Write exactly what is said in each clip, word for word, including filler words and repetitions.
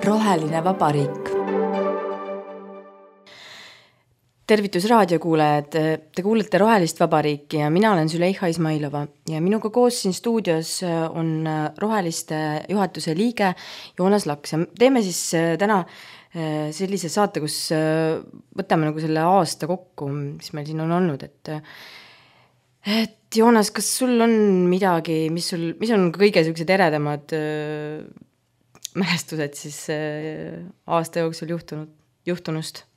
Roheline vabariik. Tervitus raadiokuulajad, te kuulete Rohelist vabariiki ja mina olen Züleyxa Ismailova ja minuga koos siin stuudios on Roheliste juhatuse liige Joonas Laks ja teeme siis täna sellise saate, kus võtame nagu selle aasta kokku, mis meil siin on olnud, et et Joonas, kas sul on midagi, mis, sul, mis on kõige sellised eredamad mälestused siis aasta jooksul juhtunud, juhtunust?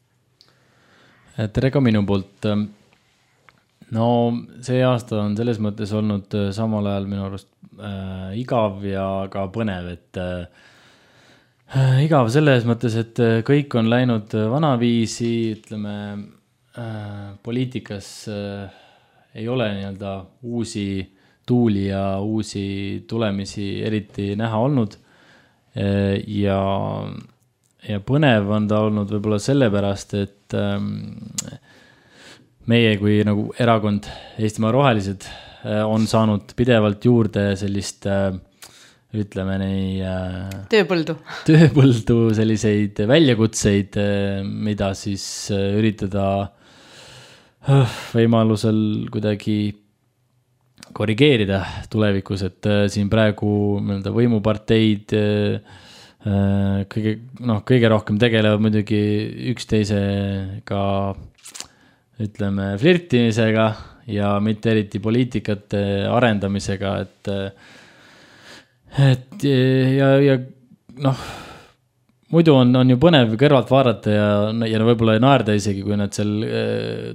Tere ka minu poolt. No see aasta on selles mõttes olnud samal ajal minu arust äh, igav ja ka põnev, et äh, igav selles mõttes, et kõik on läinud vanaviisi, ütleme, äh, poliitikas äh, ei ole nii-öelda uusi tuuli ja uusi tulemisi eriti näha olnud äh, ja Ja põnev on ta olnud võib-olla sellepärast, et meie kui nagu erakond Eestimaa Rohelised on saanud pidevalt juurde sellist, ütleme nii, tööpõldu. tööpõldu selliseid väljakutseid, mida siis üritada võimalusel kuidagi korrigeerida tulevikus, et siin praegu võimuparteid kõige, noh, kõige rohkem tegelevad muidugi üksteisega, ütleme, flirtimisega ja mitte eriti poliitikate arendamisega, et, et ja, ja noh, muidu on, on ju põnev kõrvalt vaadata ja, ja võib-olla ei naerda isegi, kui nad seal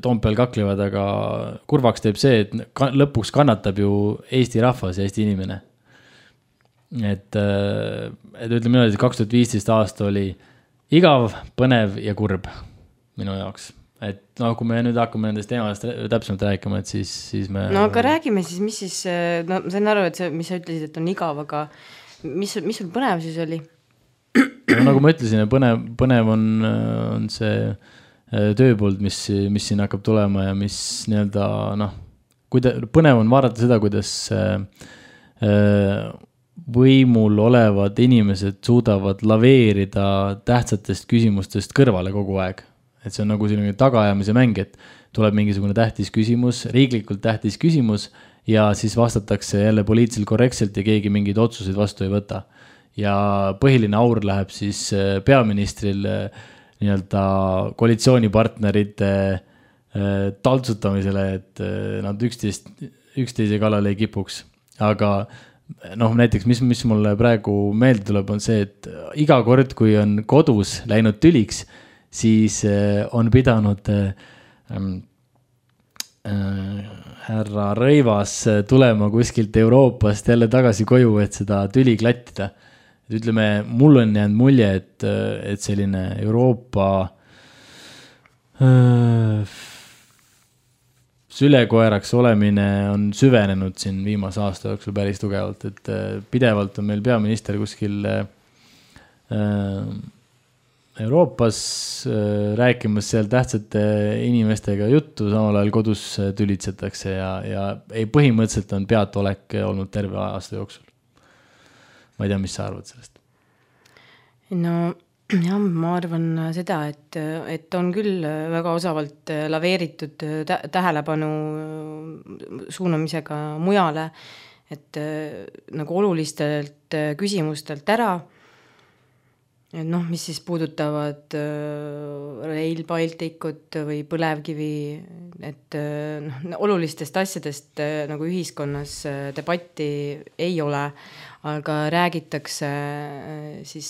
Toompeal kaklevad, aga kurvaks teeb see, et lõpuks kannatab ju Eesti rahvas ja Eesti inimene. Et, et ütleme niimoodi, et kaks tuhat viisteist aasta oli igav, põnev ja kurb minu jaoks. Et no, kui me nüüd hakkame nendest teemadest täpsemalt rääkima, et siis, siis me... No aga räägime siis, mis siis, no ma sain aru, et see, mis sa ütlesid, et on igav, aga mis, mis sul põnev siis oli? No, nagu ma ütlesin, põnev, põnev on, on see tööpõld, mis, mis siin hakkab tulema ja mis nii-öelda, noh, kuida, põnev on vaadata seda, kuidas äh, võimul olevad inimesed suudavad laveerida tähtsatest küsimustest kõrvale kogu aeg. Et see on nagu selline tagaajamise mäng, et tuleb mingisugune tähtis küsimus, riiklikult tähtis küsimus ja siis vastatakse jälle poliitiliselt korrektselt ja keegi mingeid otsuseid vastu ei võta. Ja põhiline aur läheb siis peaministril nii-öelda koalitsioonipartnerite taltsutamisele, et nad üksteist, üksteise kallale ei kipuks. Aga noh, näiteks, mis, mis mulle praegu meelde tuleb, on see, et iga kord, kui on kodus läinud tüliks, siis on pidanud äh, äh, härra Rõivas tulema kuskilt Euroopast jälle tagasi koju, et seda tüli klattida. Et ütleme, mul on jäänud mulje, et, et selline Euroopa äh, sülekoeraks olemine on süvenenud siin viimase aasta jooksul päris tugevalt, et pidevalt on meil peaminister kuskil Euroopas rääkimas seal tähtsate inimestega juttu, samal ajal kodus tülitsetakse ja, ja ei, põhimõtteliselt on peatolek olnud terve aasta jooksul. Ma ei tea, mis sa arvad sellest? No jah, ma arvan seda, et, et on küll väga osavalt laveeritud tähelepanu suunamisega mujale, et nagu olulistelt küsimustelt ära, et noh, mis siis puudutavad Rail Balticut või põlevkivi, et noh, olulistest asjadest nagu ühiskonnas debatti ei ole, aga räägitakse siis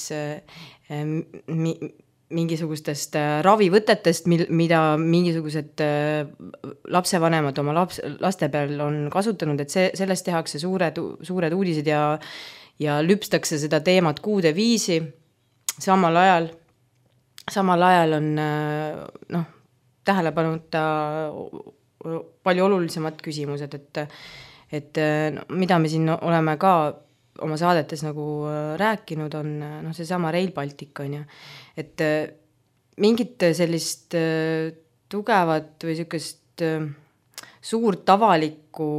mingisugustest ravivõtetest, mida mingisugused lapsevanemad oma laps, laste peal on kasutanud, et see, sellest tehakse suured, suured uudised ja, ja lüpstakse seda teemat kuude viisi. Samal ajal, samal ajal on noh, tähelepanuta palju olulisemad küsimused, et, et no, mida me siin oleme ka oma saadetes nagu rääkinud, on no, see sama Rail Baltic on ju. Et mingit sellist tugevat või sellist suurt avalikku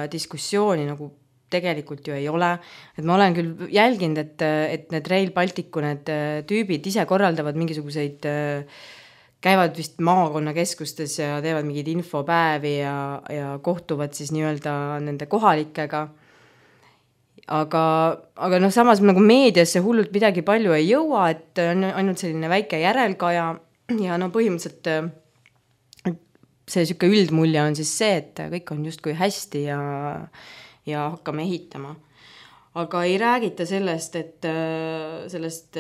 diskussiooni nagu tegelikult ju ei ole. Et ma olen küll jälginud, et, et need Rail Balticu need tüübid ise korraldavad mingisuguseid, käivad vist maakonnakeskustes ja teevad mingid infopäevi ja, ja kohtuvad siis nii-öelda nende kohalikega. Aga, aga noh, samas nagu meediasse hullult midagi palju ei jõua, et on ainult selline väike järelkaja ja no põhimõtteliselt see siuke üldmulje on siis see, et kõik on justkui hästi ja, ja hakkame ehitama. Aga ei räägita sellest, et sellest,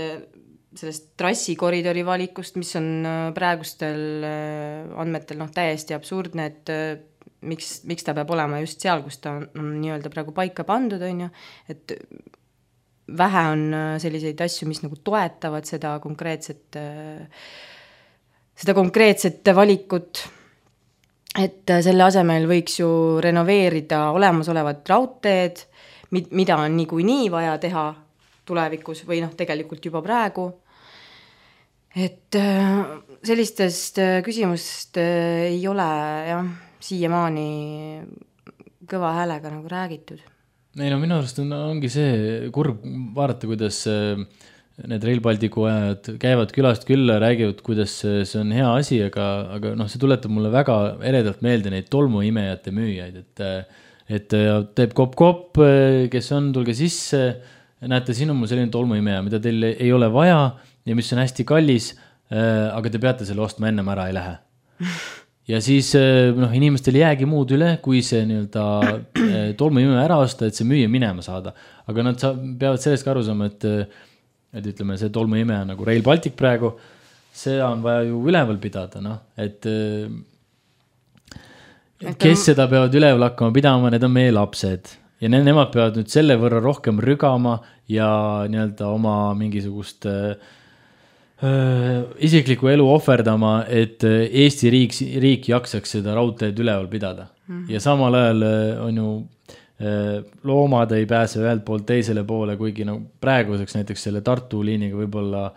sellest trassikoridori valikust, mis on praegustel andmetel noh, täiesti absurdne, et miks, miks ta peab olema just seal, kus ta on, on nii-öelda praegu paika pandud, on ju, et vähe on selliseid asju, mis nagu toetavad seda konkreetset, seda konkreetset valikut. Et selle asemel võiks ju renoveerida olemasolevat raudteed, mida on niikuinii nii vaja teha tulevikus või noh, tegelikult juba praegu. Et sellistest küsimust ei ole jah, siiamaani kõva häälega nagu räägitud. Ei no minu arust on, ongi see kurb vaadata, kuidas need Rail Balticu ajad käivad külast külla, räägivad, kuidas see on hea asi, aga, aga noh, see tuletab mulle väga eredalt meelde neid tolmuimejate müüjaid, et, et teeb kopp-kopp, kes on, tulge sisse, näete, siin on mul selline tolmuimeja, mida teil ei ole vaja ja mis on hästi kallis, aga te peate selle ostma ennem ära ei lähe. Ja siis noh, inimestel jäägi muud üle, kui see nii-öelda tolmuimeja ära osta, et see müüja minema saada. Aga nad sa, peavad sellest ka aru saama, et et ütleme, see tolmuimeja nagu Rail Baltic praegu, see on vaja ju üleval pidada, noh, et, et kes seda peavad üleval hakkama pidama, need on meie lapsed ja ne, nemad peavad nüüd selle võrra rohkem rügama ja nii-öelda oma mingisugust äh, isikliku elu ohverdama, et Eesti riik, riik jaksaks seda raudteed üleval pidada. Mm-hmm. Ja samal ajal on ju loomad ei pääse ühelt poolt teisele poole, kuigi no, praeguseks näiteks selle Tartu liiniga võib-olla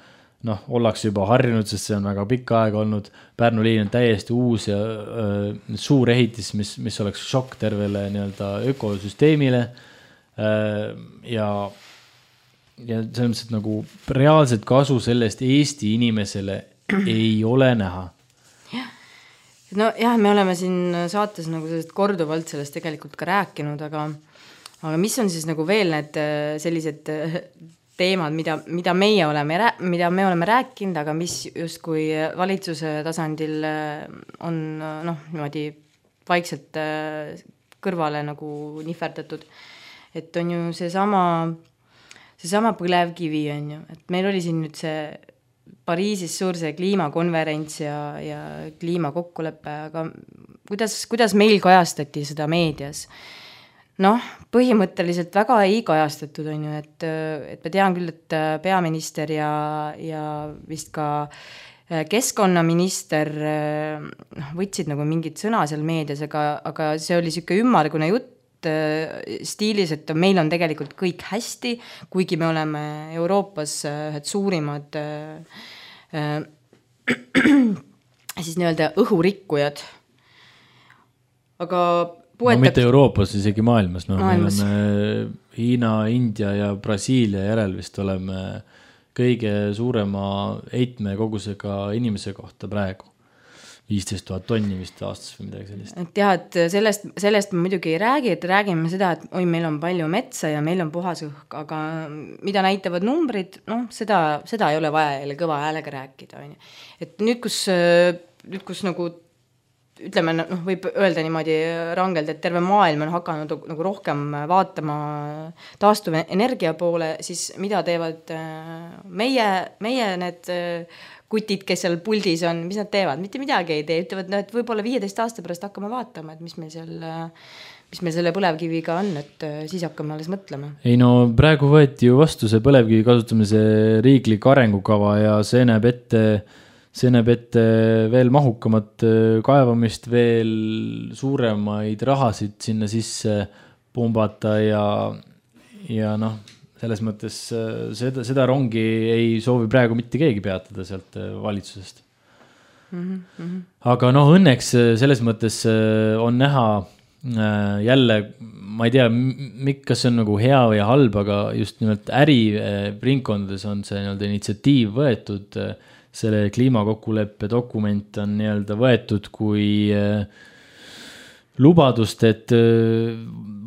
noh, ollakse juba harjunud, sest see on väga pikka aega olnud. Pärnu liin on täiesti uus ja äh, suur ehitis, mis, mis oleks šokk tervele nii-öelda ökosüsteemile äh, ja, ja selles mõttes, et nagu reaalset kasu sellest Eesti inimesele ei ole näha. No jah, me oleme siin saates nagu korduvalt sellest tegelikult ka rääkinud, aga, aga mis on siis nagu veel need sellised teemad, mida, mida, meie oleme, mida me oleme rääkinud, aga mis justkui valitsuse tasandil on noh, niimoodi vaikselt kõrvale nagu nihverdatud. Et on ju see sama, see sama põlevkivi on ju, et meil oli siin nüüd see Pariisis suur see kliimakonverents ja, ja kliimakokkulepe, aga kuidas, kuidas meil kajastati seda meedias? Noh, põhimõtteliselt väga ei kajastatud, on ju, et, et ma tean küll, et peaminister ja, ja vist ka keskkonnaminister noh, võtsid nagu mingid sõna seal meedias, aga, aga see oli siuke ümmargune jutt stiilis, et meil on tegelikult kõik hästi, kuigi me oleme Euroopas ühed suurimad äh, siis nii-öelda õhurikkujad. Aga puetab... no mitte Euroopas, isegi maailmas. No, maailmas. Me oleme Hiina, India ja Brasiilia järel vist oleme kõige suurema heitme kogusega inimese kohta praegu. viisteist tuhat tonni vist aastas või midagi sellist. Et jah, et sellest, sellest me muidugi ei räägi, et räägime seda, et oi, meil on palju metsa ja meil on puhas õhk, aga mida näitavad numbrid, noh, seda, seda ei ole vaja jälle kõva häälega rääkida. Et nüüd, kus, nüüd, kus nagu, ütleme, noh, võib öelda niimoodi rangelt, et terve maailm on hakanud nagu rohkem vaatama taastuv energia poole, siis mida teevad meie, meie need kutid, kes seal puldis on, mis nad teevad? Mitte midagi ei tee, ütlevad, no, et võib-olla viieteist aasta pärast hakkame vaatama, et mis meil seal, mis meil selle põlevkiviga on, et siis hakkame alles mõtlema. Ei no praegu võeti ju vastu see põlevkivi kasutamise riiklik arengukava ja see näeb ette, see näeb ette veel mahukamat kaevamist, veel suuremaid rahasid sinna sisse pumbata ja, ja noh, selles mõttes seda, seda rongi ei soovi praegu mitte keegi peatada sealt valitsusest. Mm-hmm. Aga noh, õnneks selles mõttes on näha jälle, ma ei tea, kas see on nagu hea või halb, aga just nimelt äriringkondades on see nii-öelda initsiatiiv võetud, selle kliimakokkuleppe dokument on nii-öelda võetud kui lubadust, et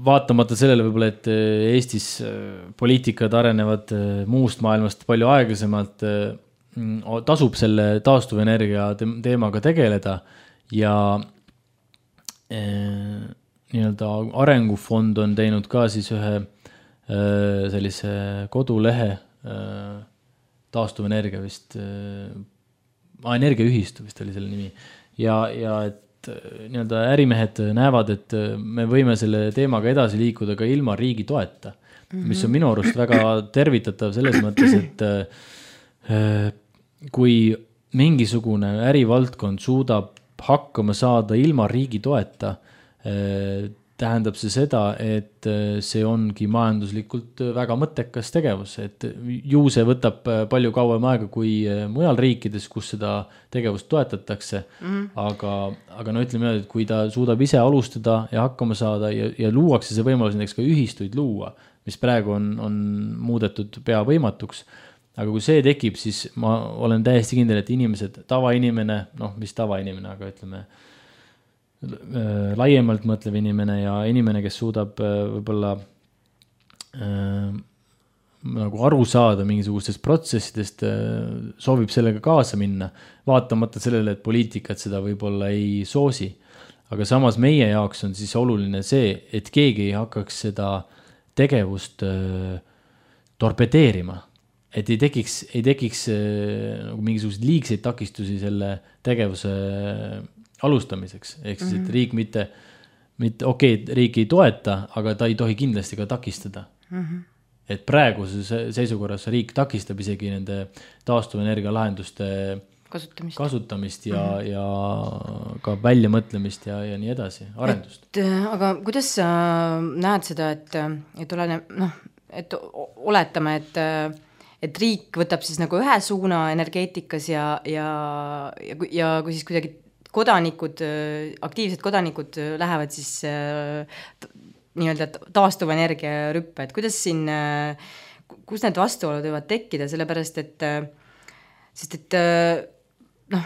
vaatamata sellele võib-olla, et Eestis poliitikad arenevad muust maailmast palju aeglasemalt, tasub selle taastuvenergia teemaga tegeleda ja nii-öelda arengufond on teinud ka siis ühe sellise kodulehe taastuvenergia vist, energiaühistu vist oli selle nimi ja, ja et nii-öelda ärimehed näevad, et me võime selle teemaga edasi liikuda ka ilma riigi toeta, mm-hmm. mis on minu arust väga tervitatav selles mõttes, et kui mingisugune ärivaldkond suudab hakkama saada ilma riigi toeta, tähendab see seda, et see ongi majanduslikult väga mõttekas tegevus, et ju see võtab palju kauem aega kui mujal riikides, kus seda tegevust toetatakse, mm-hmm. aga, aga no ütleme, et kui ta suudab ise alustada ja hakkama saada ja, ja luuakse see võimalus näiteks ka ühistuid luua, mis praegu on, on muudetud pea võimatuks, aga kui see tekib, siis ma olen täiesti kindel, et inimesed, tavainimene, noh, mis tavainimene, aga ütleme, laiemalt mõtlev inimene ja inimene, kes suudab võib-olla äh, nagu aru saada mingisugustest protsessidest, soovib sellega kaasa minna, vaatamata sellele, et poliitikat seda võib-olla ei soosi. Aga samas meie jaoks on siis oluline see, et keegi ei hakkaks seda tegevust äh, torpedeerima. Et ei tekiks, ei tekiks nagu mingisugused liigseid takistusi selle tegevuse alustamiseks. Ehk siis, et riik mitte, mitte okei, okay, riik ei toeta, aga ta ei tohi kindlasti ka takistada. Mm-hmm. Et praeguses seisukorras riik takistab isegi nende taastuvenergia lahenduste kasutamist, kasutamist ja, mm-hmm. ja ka väljamõtlemist ja, ja nii edasi, arendust. Et, aga kuidas sa näed seda, et, et, olene, noh, et oletame, et et riik võtab siis nagu ühe suuna energeetikas ja, ja, ja, ja kui siis kuidagi kodanikud, aktiivsed kodanikud lähevad siis nii-öelda taastuvenergia rüppe, et kuidas siin, kus need vastuolud võivad tekkida, sellepärast et sest et noh,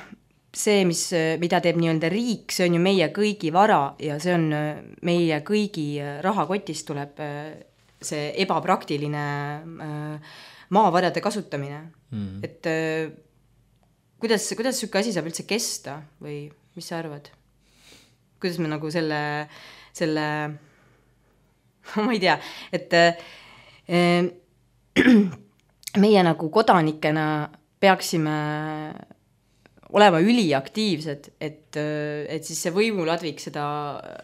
see, mis, mida teeb nii-öelda riik, see on ju meie kõigi vara ja see on meie kõigi rahakotist tuleb see ebapraktiline maavarade kasutamine. Mm. Et kuidas, kuidas sükke asi saab üldse kesta või mis sa arvad? Kuidas me nagu selle, selle ma ei tea, et äh, meie nagu kodanikena peaksime olema üliaktiivsed, et, et siis see võimuladvik seda,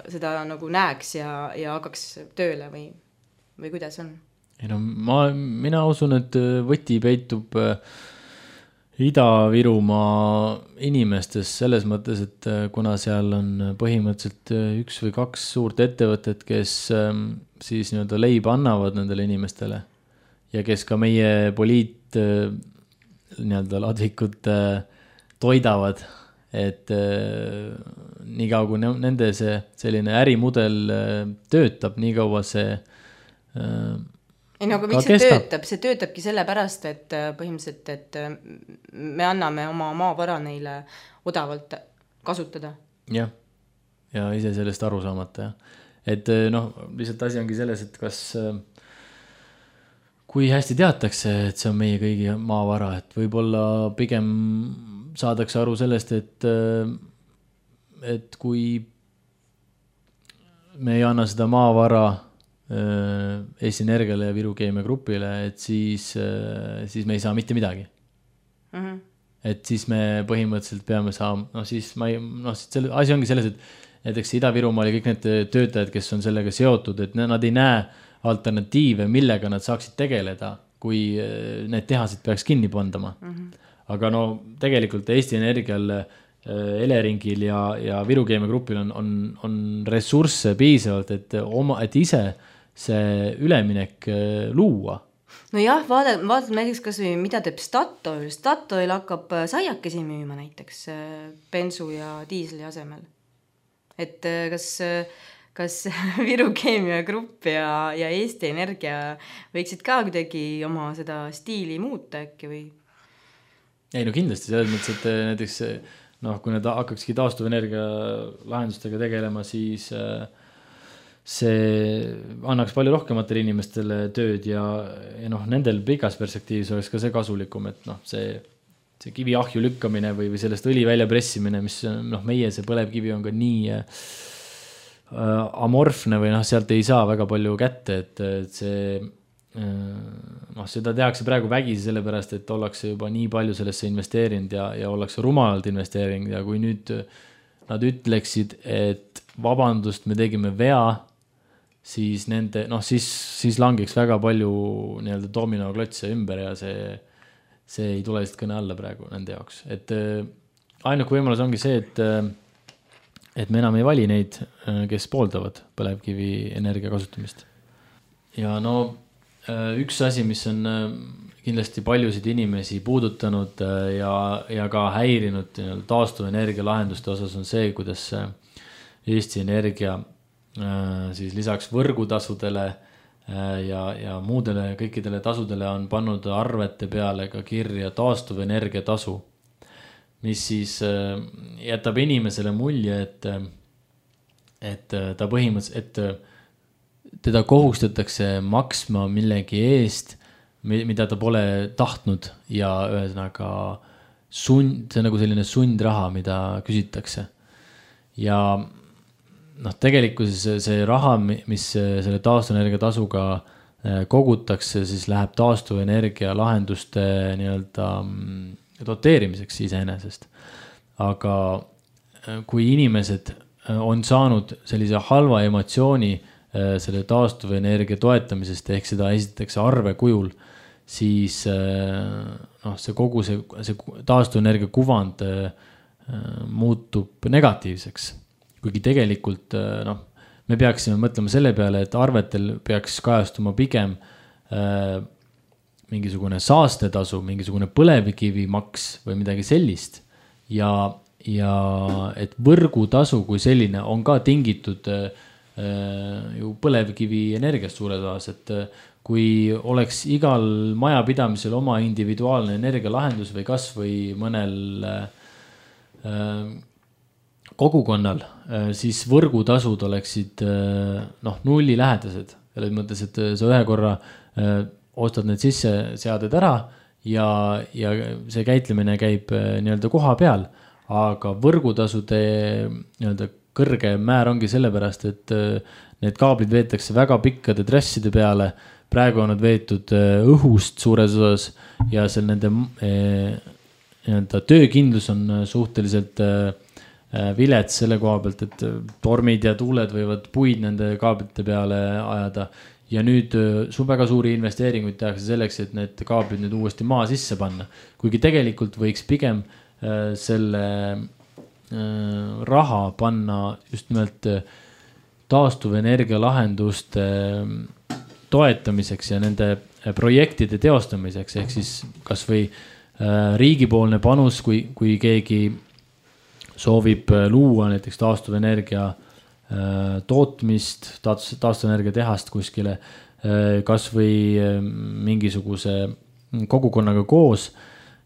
seda nagu näeks ja, ja hakkaks tööle või, või kuidas on? Ei no, ma, mina usun, et võti peitub Ida-Virumaa inimestes selles mõttes, et kuna seal on põhimõtteliselt üks või kaks suurt ettevõtet, kes siis nii-öelda leiba annavad nendele inimestele ja kes ka meie poliit nii-öelda ladvikut toidavad, et nii kaua kui nende see selline ärimudel töötab, nii kaua see ei, no aga miks see kestab? töötab? See töötabki sellepärast, et põhimõtteliselt, et me anname oma maavara neile odavalt kasutada. Jah, ja ise sellest aru saamata. Ja. Et noh, lihtsalt asi ongi selles, et kas kui hästi teatakse, et see on meie kõigi maavara, et võib-olla pigem saadakse aru sellest, et, et kui me ei anna seda maavara Eesti Energiale ja Viru Keemia Grupile, et siis, siis me ei saa mitte midagi. Mm-hmm. Et siis me põhimõtteliselt peame saama, noh siis ma ei, noh selle, asi ongi selles, et näiteks Ida-Virumaal ja kõik need töötajad, kes on sellega seotud, et nad ei näe alternatiive, millega nad saaksid tegeleda, kui need tehased peaks kinni pandama. Mm-hmm. Aga no tegelikult Eesti Energial, Eleringil ja, ja Viru Keemia Grupil on, on, on ressursse piisavalt, et, oma, et ise see üleminek luua. No jah, vaatad, vaatad näiteks kas või mida teeb Statoil. Statoil hakkab saiakesi müüma näiteks bensu ja diisli asemel. Et kas, kas Viru Keemia Grupp ja, ja Eesti Energia võiksid ka kuidagi oma seda stiili muuta äkki või? Ei no kindlasti, selles mõttes, et näiteks noh, kui need hakkakski taastuvenergia lahendustega tegelema, siis see annaks palju rohkematele inimestele tööd ja, ja noh, nendel pikas perspektiivis oleks ka see kasulikum, et noh, see, see kivi ahju lükkamine või, või sellest õli välja pressimine, mis noh, meie see põlevkivi on ka nii äh, amorfne või noh, sealt ei saa väga palju kätte, et, et see noh, seda tehakse praegu vägisi sellepärast, et ollakse juba nii palju sellesse investeerinud ja, ja ollakse rumalalt investeerinud ja kui nüüd nad ütleksid, et vabandust, me tegime vea, siis nende, noh, siis, siis langeks väga palju nii-öelda dominoklotse ümber ja see, see ei tule lihtsalt kõne alla praegu nende jaoks. Et ainuke võimalus ongi see, et, et me enam ei vali neid, kes pooldavad põlevkivi energia kasutamist. Ja no üks asi, mis on kindlasti paljusid inimesi puudutanud ja, ja ka häirinud taastuvenergia lahenduste osas on see, kuidas Eesti Energia siis lisaks võrgutasudele ja, ja muudele kõikidele tasudele on pannud arvete peale ka kirja taastuvenergia tasu, mis siis jätab inimesele mulje, et, et ta põhimõtteliselt, et teda kohustatakse maksma millegi eest, mida ta pole tahtnud ja ühesõnaga sund, see on nagu selline sundraha, mida küsitakse. Ja noh, tegelikkuses see, see raha, mis selle taastuvenergia tasuga kogutakse, siis läheb taastuvenergia lahenduste nii-öelda doteerimiseks iseenesest. Aga kui inimesed on saanud sellise halva emotsiooni selle taastuvenergia toetamisest, ehk seda esitatakse arve kujul, siis noh, see kogu see, see taastuvenergia kuvand muutub negatiivseks. Kuigi tegelikult noh, me peaksime mõtlema selle peale, et arvetel peaks kajastuma pigem mingisugune saastetasu, mingisugune põlevkivimaks või midagi sellist. Ja, ja et võrgutasu kui selline on ka tingitud ju põlevkivi energiast suures osas, et kui oleks igal majapidamisel oma individuaalne energialahendus või kas või mõnel kogukonnal, siis võrgutasud oleksid noh, nulli lähedased. Selles mõttes, et sa ühe korra ostad need sisse seaded ära ja, ja see käitlemine käib nii-öelda koha peal, aga võrgutasude nii-öelda kõrge määr ongi sellepärast, et need kaablid veetakse väga pikkade trasside peale. Praegu on nad veetud õhust suures osas ja seal nende nii-öelda töökindlus on suhteliselt vilets selle koha pealt, et tormid ja tuuled võivad puid nende kaablite peale ajada. Ja nüüd su väga suuri investeeringuid tehakse selleks, et need kaablid nüüd uuesti maa sisse panna. Kuigi tegelikult võiks pigem selle raha panna just nimelt taastuvenergia lahenduste toetamiseks ja nende projektide teostamiseks, ehk siis kas või riigipoolne panus, kui, kui keegi soovib luua näiteks taastuvenergia tootmist, taastuvenergia tehast kuskile, kas või mingisuguse kogukonnaga koos,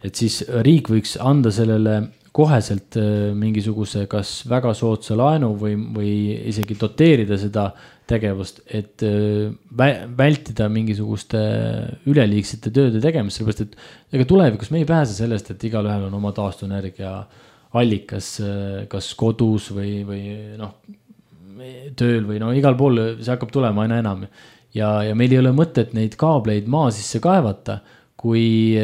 et siis riik võiks anda sellele koheselt mingisuguse kas väga soodsa laenu või, või isegi doteerida seda tegevust, et vältida mingisuguste üleliigsete tööde tegemist, sellepärast et ega tulevikus me ei pääse sellest, et igal ühel on oma taastuvenergia allikas, kas kodus või, või noh, tööl või no igal pool see hakkab tulema aina enam ja, ja meil ei ole mõtet neid kaableid maa sisse kaevata, kui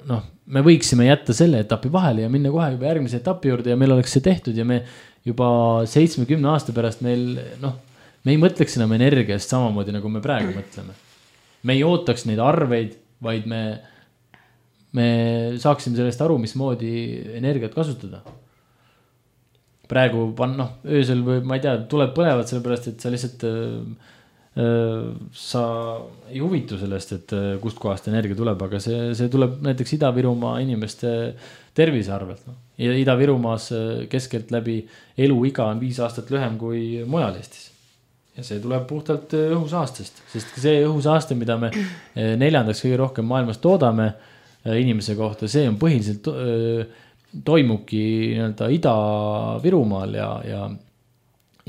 noh, me võiksime jätta selle etapi vahele ja minna kohe juba järgmise etapi juurde ja meil oleks see tehtud ja me juba seitsmekümne aasta pärast meil, noh, me ei mõtleks enam energiast samamoodi, nagu me praegu mõtleme. Me ei ootaks neid arveid, vaid me, me saaksime sellest aru, mismoodi energiat kasutada. Praegu pan, noh, öösel või ma ei tea, tuleb põlevad sellepärast, et sa lihtsalt sa ei huvitu sellest, et kust kohast energia tuleb, aga see, see tuleb näiteks Ida-Virumaa inimeste tervise arvelt. Ja Ida-Virumaas keskelt läbi eluiga on viis aastat lühem kui mujal Eestis. ja see tuleb puhtalt õhusaastest, sest see õhusaaste, mida me neljandaks kõige rohkem maailmas toodame inimese kohta, see on põhiliselt toimubki nii-öelda Ida-Virumaal ja, ja,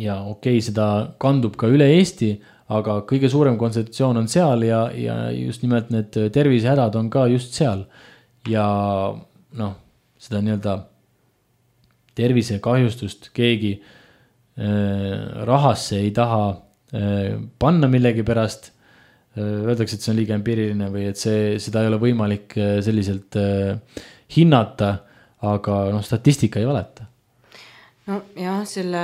ja okei, seda kandub ka üle Eesti, aga kõige suurem kontsentratsioon on seal ja, ja just nimelt need tervisehädad on ka just seal. Ja noh, seda nii-öelda tervisekahjustust keegi rahasse ei taha panna millegi pärast, öeldakse, et see on liiga empiiriline või et see, seda ei ole võimalik selliselt hinnata, aga noh, statistika ei valeta. No jah, selle,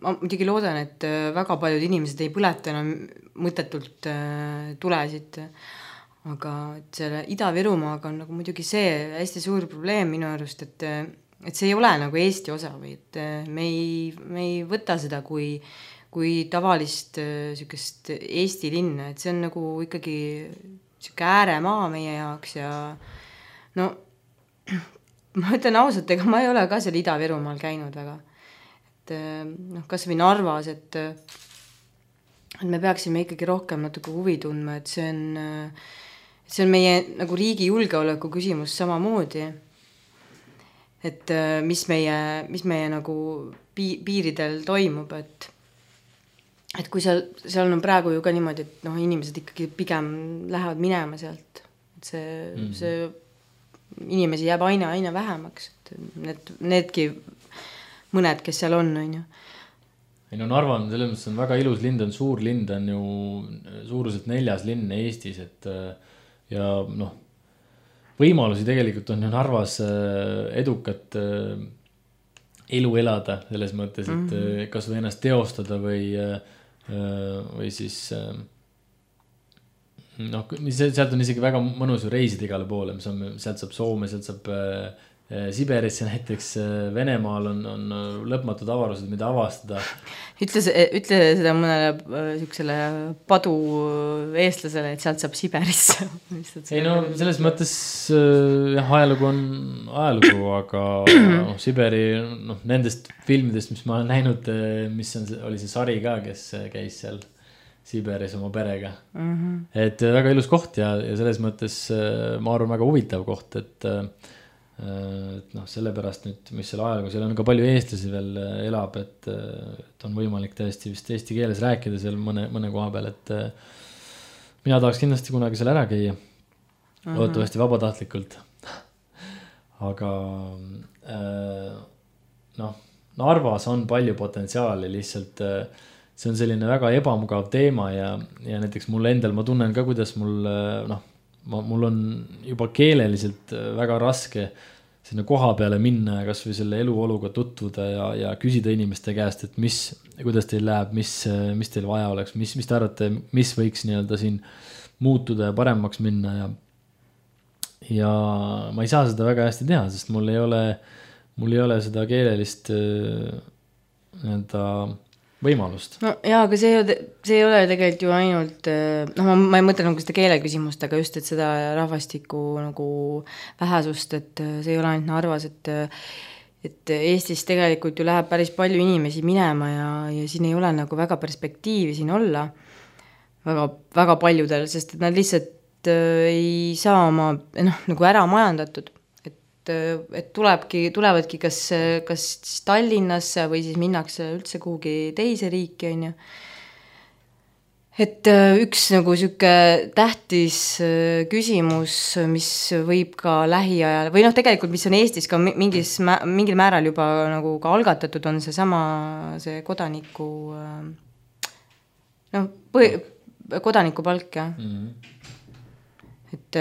ma muidugi loodan, et väga paljud inimesed ei põleta enam mõttetult tulesid, aga et selle Ida-Virumaaga on nagu muidugi see hästi suur probleem minu arust, et et see ei ole nagu Eesti osa või et me ei, me ei võta seda kui, kui tavalist sükest Eesti linna, et see on nagu ikkagi süke ääremaa meie jaoks ja no ma ütlen ausalt, ega ma ei ole ka seal Ida-Virumaal käinud väga, et noh, kas või Narvas, et, et me peaksime ikkagi rohkem natuke huvi tundma, et see on, see on meie nagu riigi julgeoleku küsimus samamoodi. Et mis meie, mis meie nagu piiridel toimub, et, et kui seal, seal on praegu ju ka niimoodi, et noh, inimesed ikkagi pigem lähevad minema sealt, et see, mm-hmm. see inimesi jääb aina, aina vähemaks, et need, needki mõned, kes seal on, on ju. Ei no Narva on selles mõttes on väga ilus linn, on suur linn, on ju suuruselt neljas linn Eestis, et ja noh, võimalusi tegelikult on ju Narvas edukat elu elada selles mõttes, et mm-hmm. kas või ennast teostada või, või siis noh, sealt on isegi väga mõnus reisida igale poole, mis on, sealt saab Soome, sealt saab Siberisse näiteks, Venemaal on, on lõpmatud avarused, mida avastada. Ütle, ütle seda mõnele sükesele padu eestlasele, et sealt saab Siberisse. Ei no, selles mõttes jah, ajalugu on ajalugu, aga no, Siberi, noh, nendest filmidest, mis ma olen näinud, mis on, oli see sari ka, kes käis seal Siberis oma perega. Mm-hmm. Et väga ilus koht ja, ja selles mõttes ma arvan väga huvitav koht, et et noh, sellepärast nüüd, mis selle ajalugu, seal on ka palju eestlasi veel elab, et, et on võimalik tõesti vist eesti keeles rääkida seal mõne, mõne koha peal, et mina tahaks kindlasti kunagi seal ära käia, uh-huh. loodetavasti vabatahtlikult. Aga noh, Narvas on palju potentsiaali, lihtsalt see on selline väga ebamugav teema ja, ja näiteks mul endal, ma tunnen ka, kuidas mul noh, Ma, mul on juba keeleliselt väga raske sinna koha peale minna ja kas või selle eluoluga tutvuda ja, ja küsida inimeste käest, et mis, kuidas teil läheb, mis, mis teil vaja oleks, mis, mis te arvate, mis võiks nii-öelda siin muutuda ja paremaks minna ja, ja ma ei saa seda väga hästi teha, sest mul ei ole, mul ei ole seda keelelist nii-öelda võimalust. No jaa, aga see, see ei ole tegelikult ju ainult, noh, ma, ma ei mõtle nagu seda keele küsimust, aga just, et seda rahvastiku nagu vähesust, et see ei ole ainult Narvas, et, et Eestis tegelikult ju läheb päris palju inimesi minema ja, ja siin ei ole nagu väga perspektiivi siin olla väga, väga paljudel, sest et nad lihtsalt ei saa oma, noh, nagu ära majandatud. Et tulebki, tulevadki kas, kas Tallinnasse või siis minnakse üldse kuhugi teise riiki, on ju. Et üks nagu süke tähtis küsimus, mis võib ka lähiajal, või noh, tegelikult, mis on Eestis ka mingis, mingil määral juba nagu ka algatatud, on see sama, see kodaniku, noh, põhi, kodanikupalk, jah. Mm-hmm. Et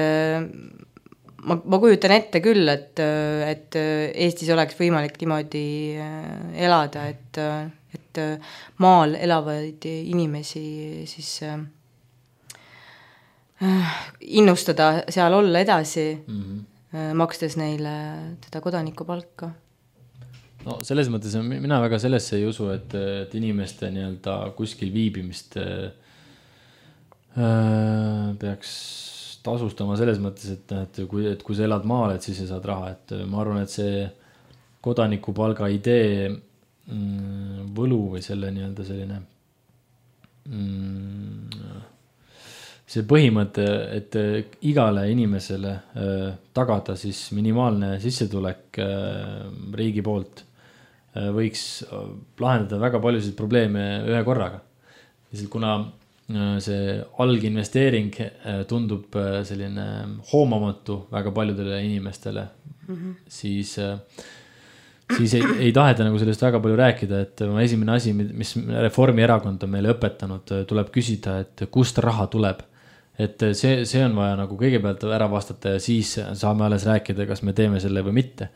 Ma, ma kujutan ette küll, et, et Eestis oleks võimalik niimoodi elada, et, et maal elavaid inimesi siis äh, innustada seal olla edasi, mm-hmm. makstes neile teda kodanikupalka. No selles mõttes on, mina väga sellesse ei usu, et, et inimeste nii-öelda kuskil viibimist äh, peaks tasustama selles mõttes, et, et, kui, et kui sa elad maal, et siis sa saad raha, et ma arvan, et see kodanikupalga idee võlu või selle nii-öelda selline mm, see põhimõte, et igale inimesele äh, tagada siis minimaalne sissetulek äh, riigi poolt äh, võiks lahendada väga paljusid probleeme ühe korraga. Lihtsalt kuna äh, see alginvesteering äh, tundub äh, selline hoomamatu väga paljudele inimestele, mm-hmm. siis äh, siis ei, ei taheta nagu sellest väga palju rääkida, et esimene asi, mis Reformierakond on meile õpetanud, tuleb küsida, et kust raha tuleb. Et see, see on vaja nagu kõigepealt ära vastata ja siis saame alles rääkida, kas me teeme selle või mitte.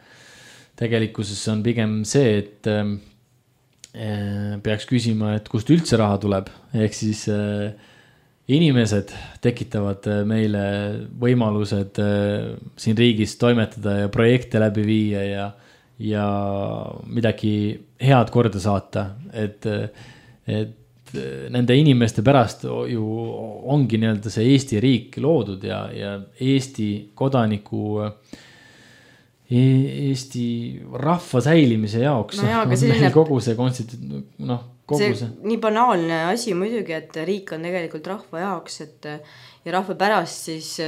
Tegelikkuses on pigem see, et äh, peaks küsima, et kust üldse raha tuleb. Ehk siis äh, inimesed tekitavad meile võimalused äh, siin riigis toimetada ja projekte läbi viia ja ja midagi head korda saata, et, et nende inimeste pärast ju ongi nii-öelda see Eesti riik loodud ja, ja Eesti kodaniku, Eesti rahva säilimise jaoks. No jaa, aga selline, kogu see konstitu-, noh, kogu see, see. Nii banaalne asi muidugi, et riik on tegelikult rahva jaoks, et ja rahva pärast siis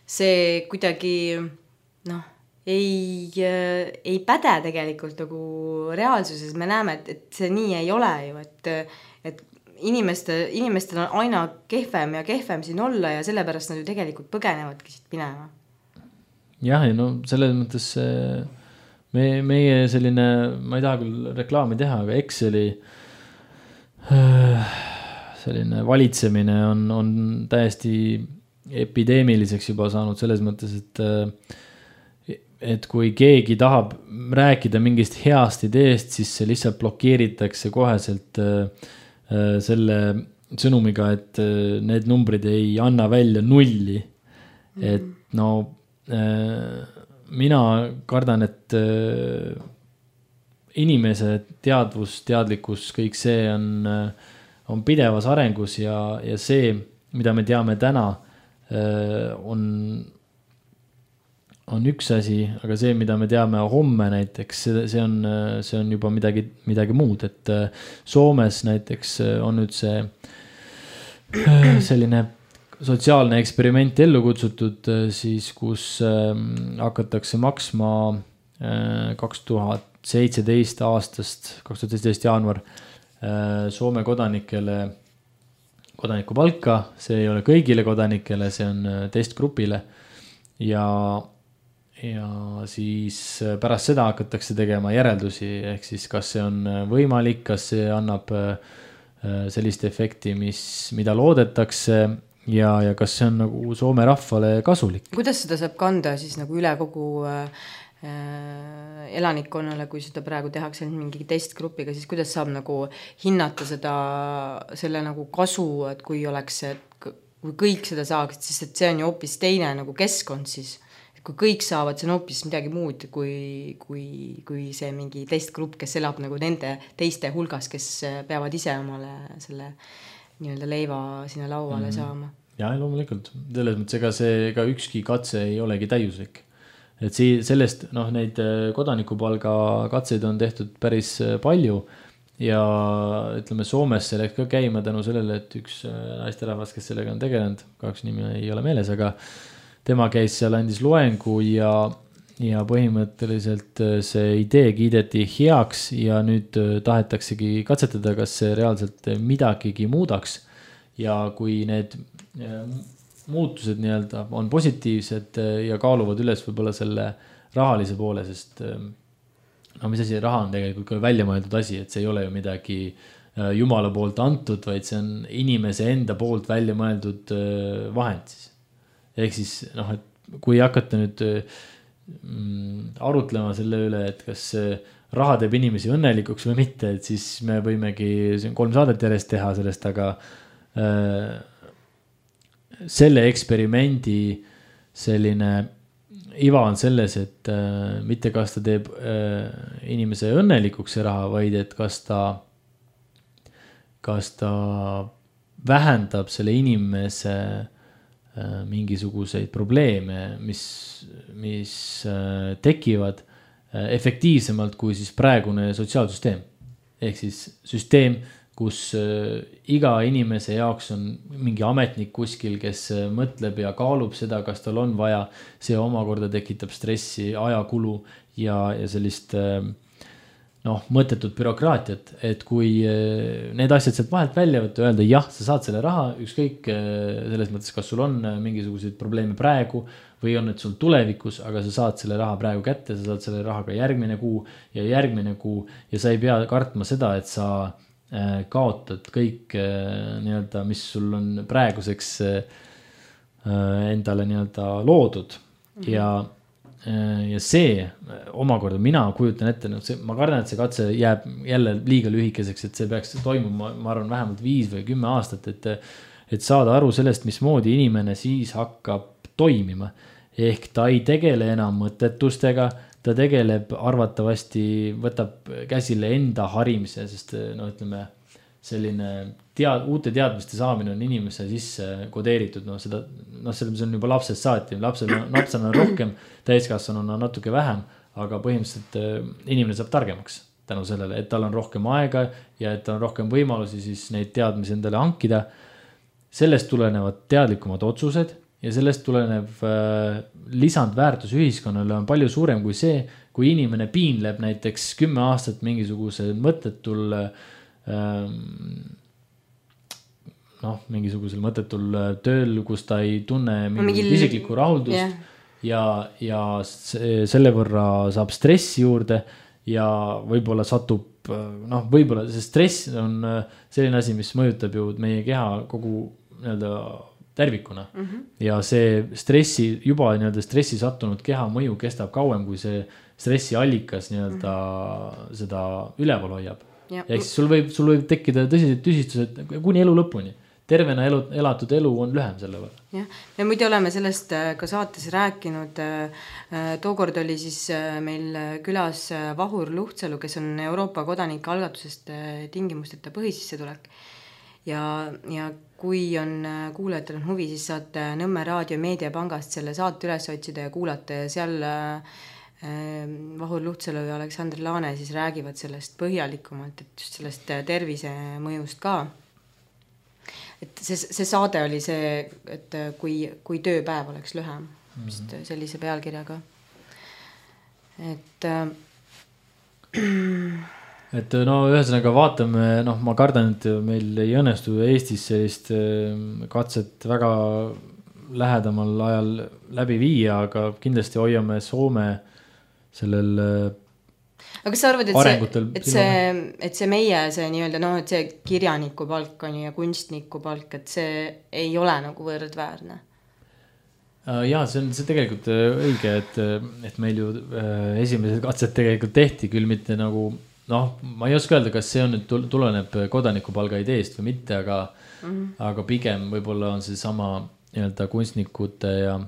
see kuidagi, noh, ei, ei päde tegelikult nagu reaalsuses. Me näeme, et, et see nii ei ole ju, et, et inimeste, inimestel on aina kehvem ja kehvem siin olla ja sellepärast nad ju tegelikult põgenevadki siit minema. Jah, ja no selles mõttes me, meie selline, ma ei taha küll reklaami teha, aga Exceli selline valitsemine on, on täiesti epideemiliseks juba saanud selles mõttes, et et kui keegi tahab rääkida mingist heast ideest, siis see lihtsalt blokeeritakse koheselt äh, selle sõnumiga, et äh, need numbrid ei anna välja nulli. Mm. Et no äh, mina kardan, et äh, inimese teadvus, teadlikkus, kõik see on, äh, on pidevas arengus ja, ja see, mida me teame täna, äh, on on üks asi, aga see, mida me teame homme näiteks, see on, see on juba midagi, midagi muud, et Soomes näiteks on nüüd see selline sotsiaalne eksperiment ellu kutsutud siis, kus hakatakse maksma kaks tuhat seitseteist aastast, kaks tuhat seitseteist jaanuar Soome kodanikele kodanikupalka, see ei ole kõigile kodanikele, see on testgrupile ja ja siis pärast seda hakatakse tegema järeldusi, ehk siis kas see on võimalik, kas see annab sellist efekti, mis, mida loodetakse ja, ja kas see on nagu Soome rahvale kasulik. Kuidas seda saab kanda siis nagu üle kogu äh, elanikkonnale, kui seda praegu tehakse mingi testgrupiga, siis kuidas saab nagu hinnata seda, selle nagu kasu, et kui oleks, et kui kõik seda saaksid, siis et see on ju hoopis teine nagu keskkond siis. Kui kõik saavad, see on hoopis midagi muud kui, kui, kui see mingi testgrupp, kes elab nagu nende teiste hulgas, kes peavad ise omale selle nii-öelda leiva sinna lauale mm. saama. Ja, loomulikult. Selles mõttes, ega see ega ükski katse ei olegi täiuslik. Et see, sellest, noh, neid kodanikupalga katseid on tehtud päris palju ja ütleme, Soomes see läks ka käima tänu sellele, et üks naisterahvas, kes sellega on tegelenud, kahjuks nimi ei ole meeles, aga tema käis seal, andis loengu ja, ja põhimõtteliselt see idee kiideti heaks ja nüüd tahetaksegi katsetada, kas see reaalselt midagigi muudaks. Ja kui need muutused nii-öelda on positiivsed ja kaaluvad üles võib-olla selle rahalise poole, sest no mis asi, raha on tegelikult ka välja mõeldud asi, et see ei ole ju midagi Jumala poolt antud, vaid see on inimese enda poolt välja mõeldud vahend siis. Ehk siis, noh, et kui hakata nüüd mm, arutlema selle üle, et kas raha teeb inimesi õnnelikuks või mitte, et siis me võimegi kolm saadet järjest teha sellest, aga äh, selle eksperimendi selline iva on selles, et äh, mitte kas ta teeb äh, inimese õnnelikuks see raha, vaid et kas ta, kas ta vähendab selle inimese mingisuguseid probleeme, mis, mis tekivad efektiivsemalt kui siis praegune sotsiaalsüsteem. Ehk siis süsteem, kus iga inimese jaoks on mingi ametnik kuskil, kes mõtleb ja kaalub seda, kas tal on vaja. See omakorda tekitab stressi, ajakulu ja, ja sellist noh, mõttetut bürokraatiat, et kui need asjad sealt vahelt välja võtta, öelda jah, sa saad selle raha, ükskõik selles mõttes, kas sul on mingisuguseid probleeme praegu või on need sul tulevikus, aga sa saad selle raha praegu kätte, sa saad selle raha ka järgmine kuu ja järgmine kuu ja sa ei pea kartma seda, et sa kaotad kõik nii-öelda, mis sul on praeguseks endale nii-öelda loodud ja, ja see omakorda mina kujutan ette, no see, ma kardan, et see katse jääb jälle liiga lühikeseks, et see peaks toimuma, ma arvan, vähemalt viis või kümme aastat, et, et saada aru sellest, mismoodi inimene siis hakkab toimima. Ehk ta ei tegele enam mõttetustega, ta tegeleb arvatavasti, võtab käsile enda harimise, sest no ütleme, selline tead, uute teadmiste saamine on inimese sisse kodeeritud, no seda, no selles on juba lapsest saati, lapsel on, lapsel on rohkem, täiskasvanuna on natuke vähem, aga põhimõtteliselt inimene saab targemaks tänu sellele, et tal on rohkem aega ja et tal on rohkem võimalusi siis neid teadmisi endale hankida. Sellest tulenevad teadlikumad otsused ja sellest tulenev äh, lisandväärtus ühiskonnale on palju suurem kui see, kui inimene piinleb näiteks kümme aastat mingisuguse mõttetul äh, noh, mingisugusel mõttetul tööl, kus ta ei tunne mingit Mingil... isiklikku rahuldust yeah. ja, ja see, selle võrra saab stressi juurde ja võib-olla satub, noh, võib-olla see stress on selline asi, mis mõjutab ju meie keha kogu nii-öelda tervikuna mm -hmm. ja see stressi, juba nii-öelda stressi sattunud keha mõju kestab kauem, kui see stressi allikas nii-öelda mm -hmm. seda üleval hoiab. Ja ehk siis sul võib, sul võib tekkida tõsised tüsistused kuni elu lõpuni. Tervena elu, elatud elu on lühem selle võrra. Jah, me muidu oleme sellest ka saates rääkinud. Tookord oli siis meil külas Vahur Luhtsalu, kes on Euroopa kodanike algatusest tingimusteta põhisissetulek. Ja, ja kui on kuulajatel on huvi, siis saate Nõmme Raadio Meediapangast selle saate üles otsida ja kuulata ja seal Vahur Luhtsalu ja Aleksander Laane siis räägivad sellest põhjalikumalt, et just sellest tervise mõjust ka. Et see, see saade oli see, et kui, kui tööpäev oleks lühem, mm -hmm. sellise pealkirjaga. Et et no ühesõnaga vaatame, noh, ma kardan, et meil ei õnnestu Eestis sellist katset väga lähedamal ajal läbi viia, aga kindlasti hoiame Soome sellel aga kas sa arvad, et see, et see, et see meie, see nii-öelda, noh, et see kirjaniku palk on ja kunstniku palk, et see ei ole nagu võrdväärne? Jaa, see on see tegelikult õige, et, et meil ju esimesed katsed tegelikult tehti küll mitte nagu, noh, ma ei oska öelda, kas see on nüüd tuleneb kodanikupalga ideest või mitte, aga, mm -hmm. aga pigem võib-olla on see sama nii-öelda kunstnikute ja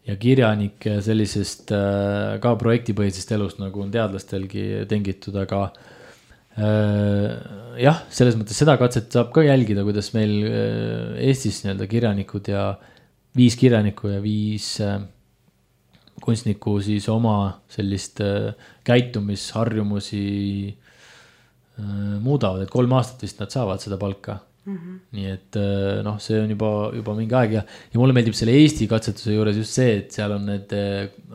ja kirjanike sellisest äh, ka projektipõhisest elust, nagu on teadlastelgi tengitud, aga äh, jah, selles mõttes seda katset saab ka jälgida, kuidas meil äh, Eestis nii-öelda kirjanikud ja viis kirjanikku ja viis äh, kunstniku siis oma sellist äh, käitumisharjumusi äh, muudavad, et kolm aastat vist nad saavad seda palka. Mm-hmm. Nii et noh, see on juba, juba mingi aeg ja, ja mulle meeldib selle Eesti katsetuse juures just see, et seal on need,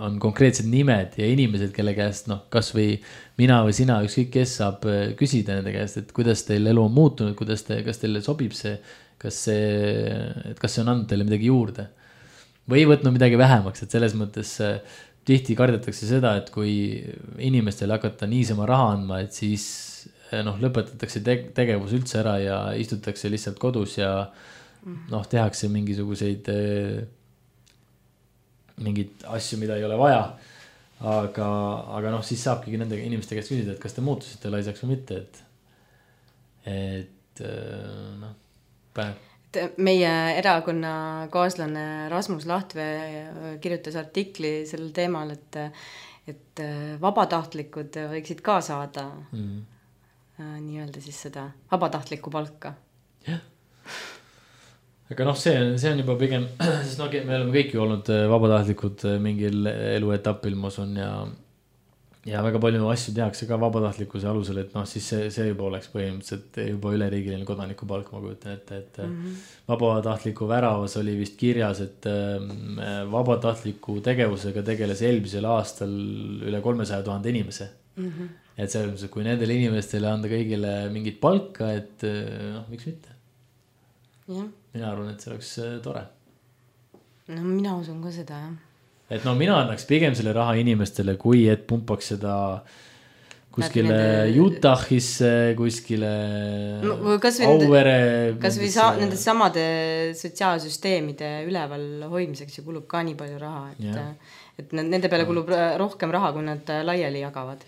on konkreetsed nimed ja inimesed, kelle käest, noh, kas või mina või sina, ükskõik kes saab küsida nende käest, et kuidas teil elu on muutunud, kuidas te, kas teile sobib see, kas see, et kas see on andnud teile midagi juurde või võtnud midagi vähemaks, et selles mõttes tihti kardetakse seda, et kui inimestele hakata niisama raha andma, et siis noh, lõpetatakse te tegevus üldse ära ja istutakse lihtsalt kodus ja noh, tehakse mingisuguseid mingeid asju, mida ei ole vaja. Aga, aga noh, siis saabki nende inimeste käest küsida, et kas te muutusite laisaks või mitte, et, et noh, päev. Meie erakonna kaaslane Rasmus Lahtvee kirjutas artikli sellel teemal, et, et vabatahtlikud võiksid ka saada mm. nii-öelda siis seda vabatahtlikku palka. Jah. Aga noh, see, see on juba pigem, sest no, me oleme kõik ju olnud vabatahtlikud mingil eluetapil, ma usun, ja, ja väga palju asju tehakse ka vabatahtlikkuse alusel, et noh, siis see, see juba oleks põhimõtteliselt juba üleriigiline kodanikupalk, ma kujutan ette, et mm -hmm. vabatahtliku väravas oli vist kirjas, et vabatahtliku tegevusega tegeles eelmisel aastal üle kolmesaja tuhande inimese mm. -hmm. et selles mõttes, et kui nendele inimestele anda kõigile mingit palka, et noh, miks mitte. Ja. mina arvan, et see oleks tore. No mina usun ka seda, jah. Et no mina annaks pigem selle raha inimestele, kui et pumpaks seda kuskile nende... Utah'isse, kuskile no, kas Auvere. Kas või sa, nende samade sotsiaalsüsteemide üleval hoidmiseks ju kulub ka nii palju raha, et, yeah. et nende peale kulub rohkem raha, kui nad laiali jagavad.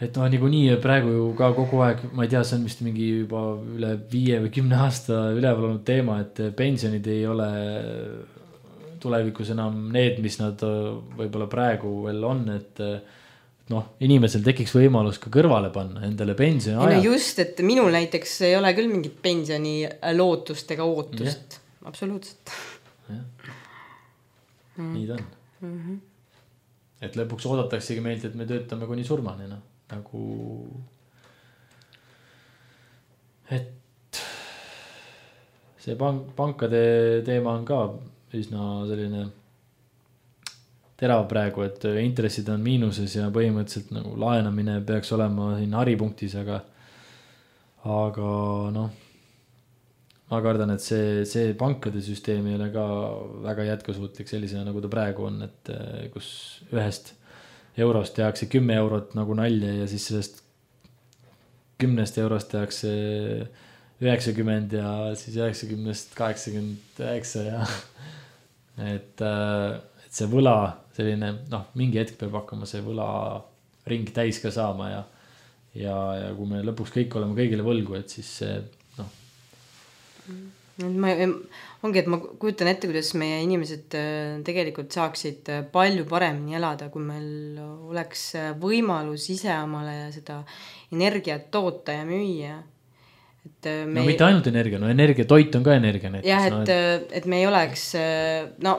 Et no nagu nii praegu ju ka kogu aeg, ma ei tea, see on vist mingi juba üle viie või kümne aasta üleval olnud teema, et pensionid ei ole tulevikus enam need, mis nad võib-olla praegu veel on, et noh, inimesel tekiks võimalus ka kõrvale panna endale pensioni ajal. No just, et minul näiteks ei ole küll mingit pensioni lootust ega ootust. Ja. Absoluutselt. Ja. Mm. Nii ta on. Mm -hmm. Et lõpuks oodataksegi meilt, et me töötame kuni surmani, noh, nagu et see pank, pankade teema on ka üsna selline terav praegu, et intressid on miinuses ja põhimõtteliselt nagu laenamine peaks olema siin haripunktis, aga aga noh, ma kardan, et see, see pankade süsteem ei ole ka väga jätkusuutlik sellisena, nagu ta praegu on, et kus ühest eurost tehakse kümme eurot nagu nalja ja siis sellest kümnest eurost tehakse üheksakümmend ja siis üheksakümnest kaheksakümmend üheksa ja et, et see võla selline, noh, mingi hetk peab hakkama see võla ring täis ka saama ja, ja, ja kui me lõpuks kõik oleme kõigile võlgu, et siis see, noh. Ma, ongi, et ma kujutan ette, kuidas meie inimesed tegelikult saaksid palju paremini elada, kui meil oleks võimalus ise omale seda energiat toota ja müüa. Et me no mitte ainult energia, no energia, toit on ka energia näiteks. Jah, et, no, et... et me ei oleks, no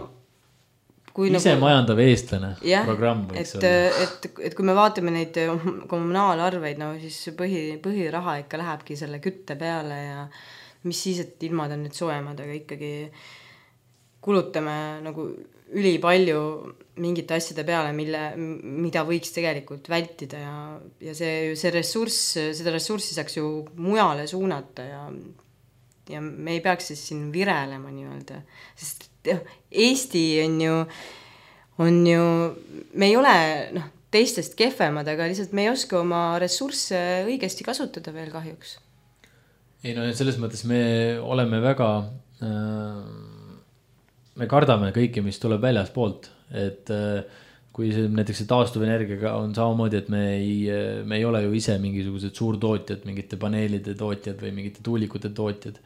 kui ise nagu... majandav eestlane jah, programm võiks et, olla. Et, et kui me vaatame neid kommunaalarveid, no siis põhi, põhiraha ikka lähebki selle kütte peale ja mis siis, et ilmad on nüüd soojemad, aga ikkagi kulutame nagu üli palju mingite asjade peale, mille, mida võiks tegelikult vältida ja, ja see, see ressurss, seda ressurssi saaks ju mujale suunata ja, ja me ei peaks siis siin virelema nii-öelda, sest Eesti on ju, on ju, me ei ole noh, teistest kehvemad, aga lihtsalt me ei oska oma ressursse õigesti kasutada veel kahjuks. Ei no selles mõttes me oleme väga äh, me kardame kõike, mis tuleb väljas poolt, et äh, kui see näiteks see taastuvenergiaga on samamoodi, et me ei, me ei ole ju ise mingisugused suurtootjad, mingite paneelide tootjad või mingite tuulikute tootjad,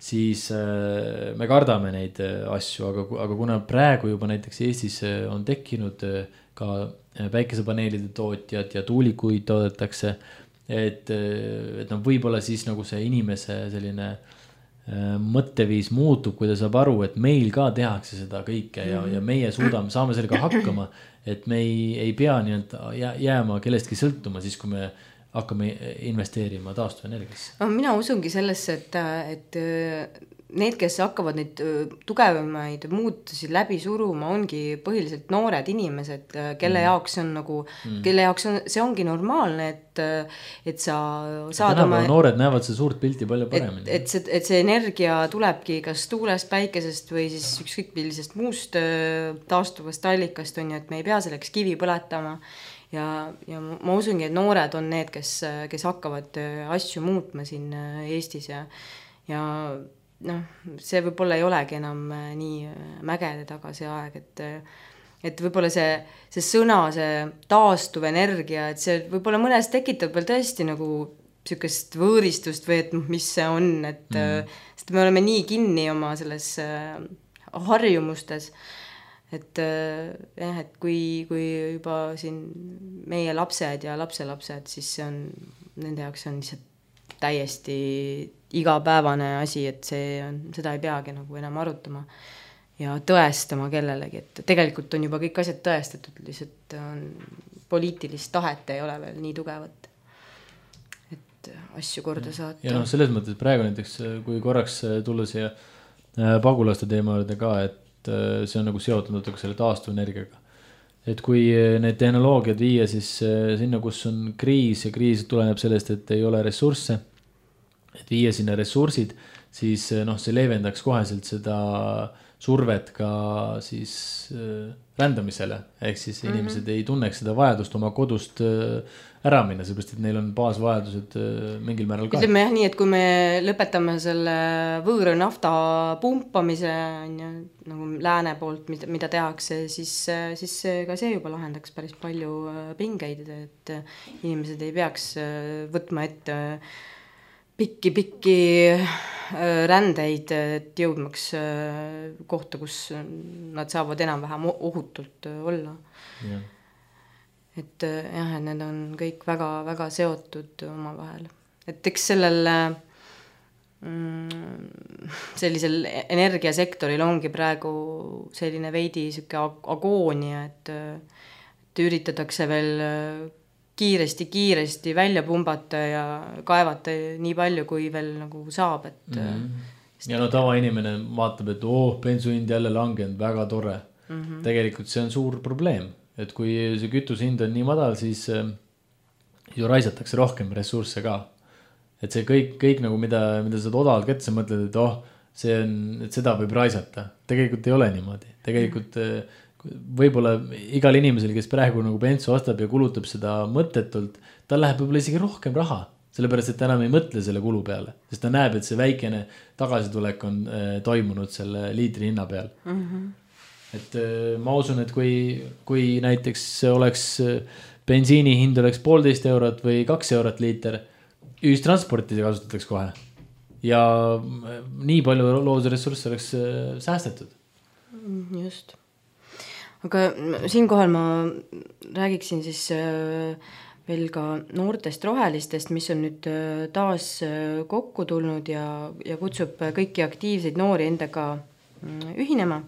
siis äh, me kardame neid asju, aga, aga kuna praegu juba näiteks Eestis on tekkinud ka päikesepaneelide tootjad ja tuulikuid toodetakse, et, et no võib-olla siis nagu see inimese selline mõtteviis muutub, kui ta saab aru, et meil ka tehakse seda kõike ja, ja meie suudame, saame sellega hakkama, et me ei, ei pea nii-öelda jääma kellestki sõltuma siis, kui me hakkame investeerima taastuvenergiasse. No, mina usungi sellesse, et, et need, kes hakkavad neid tugevamaid muutusi läbi suruma, ongi põhiliselt noored inimesed, kelle mm. jaoks on nagu, mm. kelle jaoks on, see ongi normaalne, et, et sa saad oma... Noored näevad see suurt pilti palju paremini. Et, et, see, et see energia tulebki kas tuulest, päikesest või siis ükskõik millisest muust taastuvast allikast on ju, et me ei pea selleks kivi põletama. Ja, ja ma usungi, et noored on need, kes, kes hakkavad asju muutma siin Eestis ja, ja noh, see võib-olla ei olegi enam nii mägede taga see aeg, et, et võib-olla see, see sõna, see taastuv energia, et see võib-olla mõnes tekitab veel tõesti nagu sükest võõristust või et mis see on, et mm. sest me oleme nii kinni oma selles harjumustes, et jah, et kui, kui juba siin meie lapsed ja lapselapsed, siis see on, nende jaoks on lihtsalt täiesti igapäevane asi, et see on, seda ei peagi nagu enam arutama. ja tõestama kellelegi, et tegelikult on juba kõik asjad tõestatud, lihtsalt on, poliitilist tahet ei ole veel nii tugevat, et asju korda saata. Ja noh, selles mõttes praegu näiteks, kui korraks tulla siia pagulaste teema juurde ka, et see on nagu seotud natuke selle taastuvenergiaga. Et kui need tehnoloogiad viia siis sinna, kus on kriis ja kriis tuleneb sellest, et ei ole ressursse, et viia sinna ressursid, siis noh, see leevendaks koheselt seda survet ka siis rändamisele, ehk siis mm-hmm. inimesed ei tunneks seda vajadust oma kodust ära minna, seepärast, et neil on baasvajadused mingil määral ka. Ütleme jah nii, et kui me lõpetame selle võõra nafta pumpamise nagu lääne poolt, mida, mida tehakse, siis, siis ka see juba lahendaks päris palju pingeid, et inimesed ei peaks võtma ette pikki-pikki rändeid, et jõudmaks kohta, kus nad saavad enam-vähem ohutult olla. Yeah. Et jah, et need on kõik väga, väga seotud oma vahel. Et eks sellel mm, sellisel energiasektoril ongi praegu selline veidi siuke agoonia, et, et üritatakse veel kiiresti-kiiresti välja pumbata ja kaevata nii palju, kui veel nagu saab. Et mm-hmm. Ja no tava inimene vaatab, et oh, bensuhind jälle langenud, väga tore. Mm-hmm. Tegelikult see on suur probleem. Et kui see kütushind on nii madal, siis ju raisatakse rohkem ressursse ka. Et see kõik, kõik nagu mida, mida saad odavalt kätte, sa mõtled, et oh, see on, et seda võib raisata. Tegelikult ei ole niimoodi. Tegelikult võib-olla igal inimesel, kes praegu nagu bensu ostab ja kulutab seda mõttetult, tal läheb võib-olla isegi rohkem raha. Sellepärast, et ta enam ei mõtle selle kulu peale. Sest ta näeb, et see väikene tagasitulek on äh, toimunud selle liitri hinna peal. Mm-hmm. Et ma usun, et kui, kui näiteks oleks bensiini hind oleks poolteist eurot või kaks eurot liiter, ühistransporti kasutatakse kohe. Ja nii palju loodusressursse oleks säästetud. Just. Aga siinkohal ma räägiksin siis veel ka noortest rohelistest, mis on nüüd taas kokku tulnud ja, ja kutsub kõiki aktiivseid noori endaga ühinema.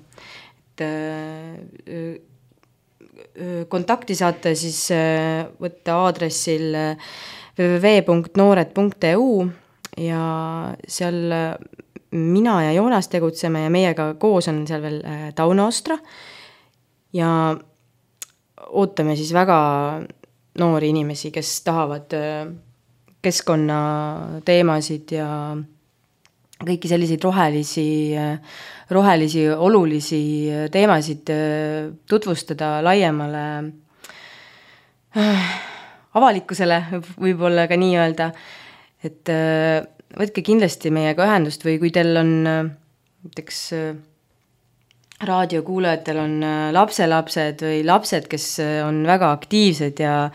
Kontakti saate siis võtta aadressil double-u double-u double-u punkt noored punkt e u ja seal mina ja Joonas tegutseme ja meiega koos on seal veel Tauno Ostra ja ootame siis väga noori inimesi, kes tahavad keskkonna teemasid ja kõiki selliseid rohelisi, rohelisi, olulisi teemasid tutvustada laiemale avalikkusele, võib-olla ka nii öelda, et võtke kindlasti meiega ühendust või kui teil on näiteks raadiokuulajatel on lapselapsed või lapsed, kes on väga aktiivsed ja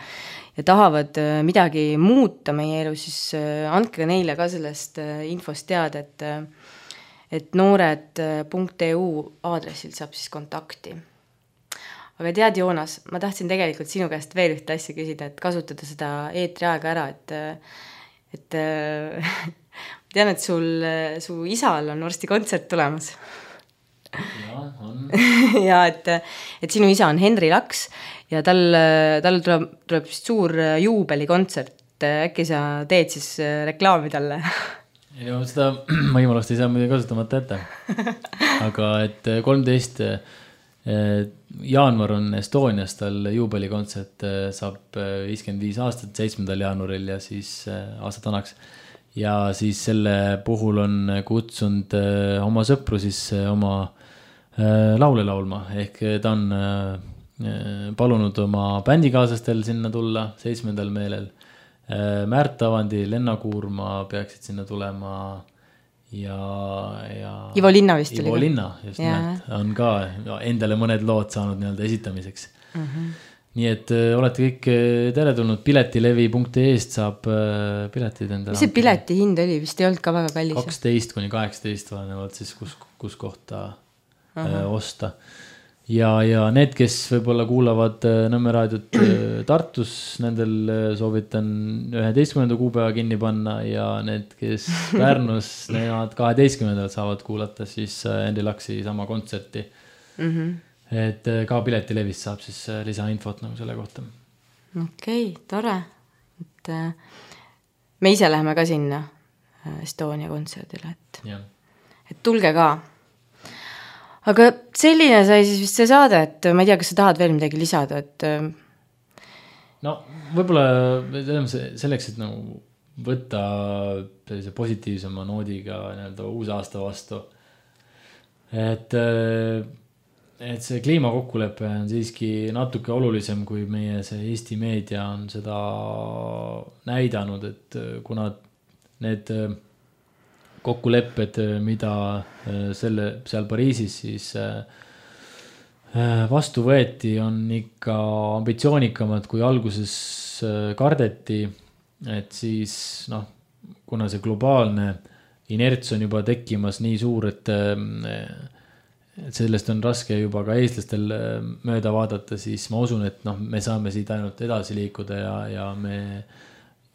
ja tahavad midagi muuta meie elu, siis andke neile ka sellest infost teada, et, et noored punkt e u aadressilt saab siis kontakti. Aga tead, Joonas, ma tahtsin tegelikult sinu käest veel ühte asja küsida, et kasutada seda eetri aega ära, et, et tean, et sul, su isal on varsti kontsert tulemas. Ja, on. ja, et, et sinu isa on Henri Laks ja tal, tal tuleb, tuleb suur juubelikontsert. Äkki sa teed siis reklaami talle? Ja seda ma imalast ei saa muidugi kasutamata ette. Aga et kolmteist jaanuar on Estonias, tal juubelikontsert saab viiskümmend viis aastat seitsmendal jaanuaril ja siis aasta tanaks. Ja siis selle puhul on kutsunud oma sõpru siis oma laule laulma, ehk ta on palunud oma bändikaaslastel sinna tulla seitsmendal meelel. Märt Avandi, Lenna Kuurma peaksid sinna tulema ja, ja Ivo Linna vist Ivo oli. Linna, just nimelt, on ka endale mõned lood saanud nii-öelda esitamiseks. Uh-huh. Nii et olete kõik teretulnud, piletilevi punkt e-st saab piletid endale. Mis see pileti hind oli? Vist ei olnud ka väga kallis. kaksteist kuni kaheksateist vahenevalt siis, kus, kus kohta uh-huh. osta. ja, ja need, kes võib-olla kuulavad Nõmme raadiot Tartus, nendel soovitan üheteistkümnenda kuupäeva kinni panna ja need, kes Pärnus, nemad kaheteistkümnendal saavad kuulata siis Andy Luxi sama kontserti. Mm-hmm. Et ka piletilevist saab siis lisainfot nagu selle kohta. Okei, okay, tore. Et me ise läheme ka sinna Estonia kontserdile, et, et tulge ka. Aga selline sai siis vist see saade, et ma ei tea, kas sa tahad veel midagi lisada, et... No võib-olla selleks, et nagu võtta sellise positiivsema noodiga nii-öelda uus aasta vastu, et, et see kliimakokkulepe on siiski natuke olulisem, kui meie see Eesti meedia on seda näidanud, et kuna need... kokkulepped, mida selle, seal Pariisis siis vastu võeti, on ikka ambitsioonikamad, kui alguses kardeti, et siis noh, kuna see globaalne inerts on juba tekkimas nii suur, et, et sellest on raske juba ka eestlastel mööda vaadata, siis ma usun, et noh, me saame siit ainult edasi liikuda ja, ja me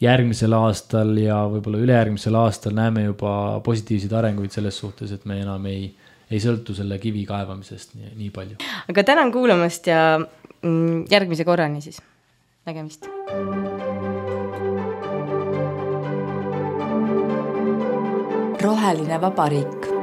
järgmisel aastal ja võib-olla ülejärgmisel aastal näeme juba positiivseid arenguid selles suhtes, et me enam ei, ei sõltu selle kivi kaevamisest nii, nii palju. Aga tänan kuulamast ja järgmise korrani siis. Nägemist. Roheline vabariik.